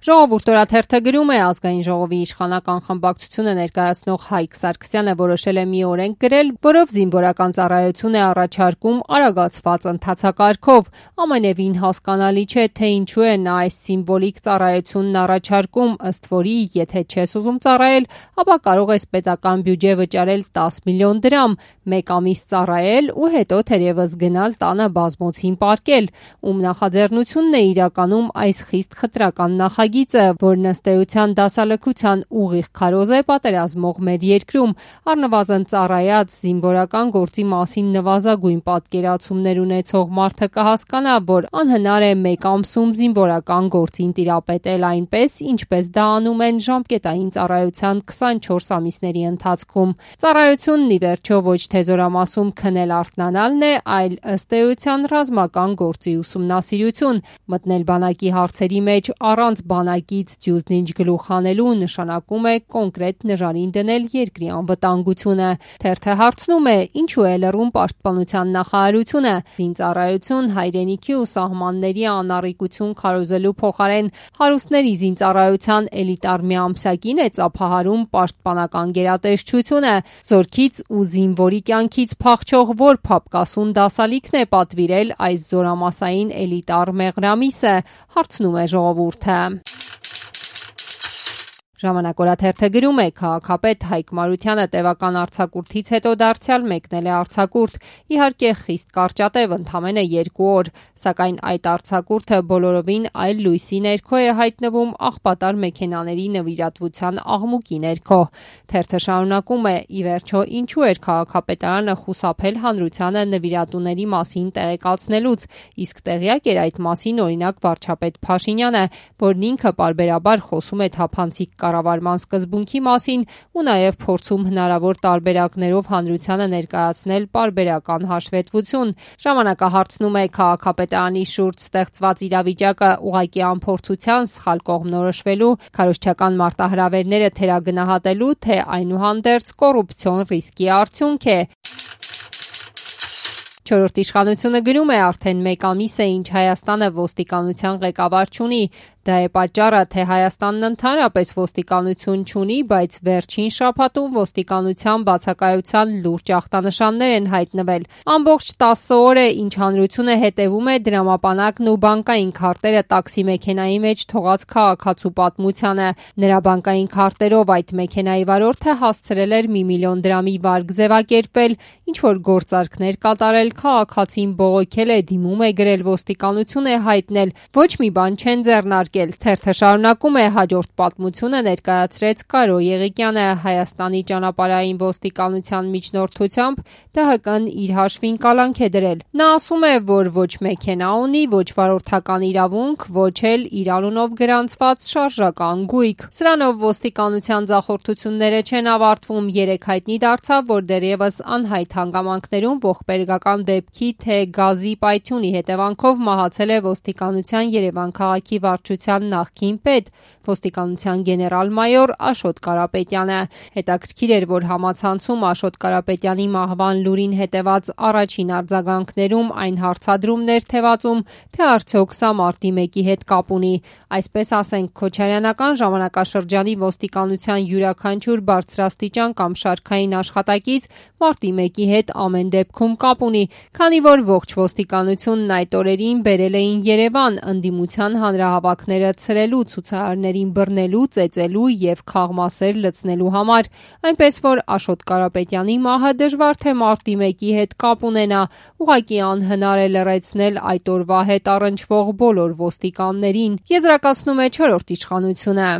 Ժողովուրդ օրաթերթը գրում է, ազգային ժողովի իշխանական խմբակցությունը ներկայացնող Հայկ Սարգսյանը որոշել է մի օրենք գրել, որով զինվորական ծառայություն է առաջարկում արագացված ընթացակարգով։ Ամենևին հասկանալի չէ, թե ինչու է նա այս սիմվոլիկ ծառայությունն առաջարկում, ըստ որի, եթե չես ուզում ծառայել, ապա կարող ես պետական բյուջե վճարել 10 միլիոն դրամ, 1 ամիս ծառայել ու հետո թերևս գնալ տանը բազմոցին պառկել, ում նախաձեռնությունն է իրականում այս խիստ խտրական նախագիծը, որն ըստ էության դասալքության ուղիղ քարոզ է պատերազմող մեր երկրում, առնվազն ծառայած զինվորական գործի մասին նվազագույն պատկերացումներ ունեցող մարդը կհասկանա, որ անհնար է 1 ամսում զինվորական գործին տիրապետել այնպես, ինչպես դա անում են ժամկետային ծառայության 24 ամիսների ընթացքում։ Ծառայությունն ի վերջո ոչ թե զորամասում քնել արթնանալն է, այլ ըստ էության ռազմական գործի ուսումնասիրություն, մտնել բանակի հարցերի մեջ առանց բանակից դյուզնինչ գլուխ հանելու նշանակում է կոնկրետ նժարին դնել երկրի անվտանգությունը։ Թերթը հարցնում է, ինչու է լռում պաշտպանության նախարարությունը, զինծառայություն, հայրենիքի ու սահմանների անառիկություն քարոզելու փոխարեն հարուստների զինծառայության էլիտար միամսակին է ծափահարում պաշտպանական գերատեսչությունը, զորքից ու զինվորի կյանքից փախչող որ փապկասուն դասալիքն է պատվիրել այս զորամասային էլիտար մեղրամիսը, հարցնում է ժողովուրդը։ Ժամանակ օրաթերթը գրում է, քաղաքապետ Հայկ Մարությանը տևական արձակուրդից հետո դարձյալ մեկնել է արձակուրդ, իհարկե խիստ կարճատև, ընդամենը 2 օր, սակայն այդ արձակուրդը բոլորովին այլ լույսի ներքո է հայտնվում աղբատար մեքենաների նվիրատվության աղմուկի ներքո։ Թերթը շարունակում է, ի վերջո ինչու էր քաղաքապետարանը խուսափել հանրությանը նվիրատուների մասին տեղեկացնելուց, իսկ տեղյակ էր այդ մասին օրինակ վարչապետ Փաշինյանը, որն ինքը պարբերաբար խոսում է թափանցիկ կառավարման սկզբունքի մասին ու նաև փորձում հնարավոր տարբերակներով հանրությանը ներկայացնել պարբերական հաշվետվություն։ Ժամանակը հարցնում է քաղաքապետարանի շուրջ ստեղծված իրավիճակը ուղղակի անփորձության սխալ կողմնորոշվելու, քարոզչական մարտահրավերները թերագնահատելու, թե այնուհանդերձ կոռուպցիոն ռիսկի արդյունք է։ Չորրորդ իշխանությունը գրում է, արդեն 1 ամիս է, ինչ Հայաստանը ոստիկանության ղեկավար չունի։ Դա է պատճառը, թե Հայաստանն ընդհանրապես ոստիկանություն չունի, բայց վերջին շաբաթում ոստիկանության բացակայության լուրջ ախտանշաններ են հայտնվել։ Ամբողջ 10 օր է, ինչ հանրությունը հետևում է դրամապանակն ու բանկային քարտերը տաքսի մեքենայի մեջ թողած քաղաքացու պատմությանը։ Նրա բանկային քարտերով այդ մեքենայի վարորդը հասցրել էր 1 միլիոն դրամի վարկ ձևակերպել, ինչ-որ գործարքներ կատարել, քաղաքացին բողոքել է, դիմում է գրել, ոստիկանություն է հայտնել, ոչ մի բան չեն ձեռնարկել։ Թերթը շարունակում է, հաջորդ պատմությունը ներկայացրեց Կարո Եղիկյանը Հայաստանի ճանապարհային ոստիկանության միջնորդությամբ ԴՀԿ-ն իր հաշվին կալանք է դրել։ Նա ասում է, որ ոչ մեքենա ունի, ոչ վարորդական իրավունք, ոչ էլ իր անունով գրանցված շարժական գույք։ Սրանով ոստիկանության ձախորդությունները չեն ավարտվում։ Երեկ հայտնի դարձավ, որ դեռևս անհայտ հանգամանքներում ողբերգական դեպքի թե գազի պայթյունի հետևանքով մահացել է ոստիկանության Երևան քաղաքի վարչության նախկին պետ, ոստիկանության գեներալ-մայոր Աշոտ Կարապետյանը։ Հետաքրքիր էր, որ համացանցում Աշոտ Կարապետյանի մահվան լուրին հետևած առաջին արձագանքներում այն հարցադրումներ թևածում, թե արդյոք սա մարտի 1-ի հետ կապ ունի։ Այսպես ասենք, Քոչարյանական ժամանակաշրջանի ոստիկանության յուրաքանչյուր բարձրաստիճան կամ շարքային աշխատակից մարտի 1-ի հետ ամեն դեպքում կապ ունի, քանի որ ողջ ոստիկանությունն այդ օրերին բերել էին Երևան ընդդիմության հանրահավաքները ցրելու, ցուցարարներին բռնելու, ծեծելու եւ քաղմասեր լցնելու համար, այնպես որ Աշոտ Կարապետյանի մահը դժվար թե մարտի 1-ի հետ կապ ունենա, ուղղակի անհնար է լռեցնել այդ օրվա հետ առնչվող բոլոր ոստիկաններին, եզրակացնում է չորրորդ իշխանությունը։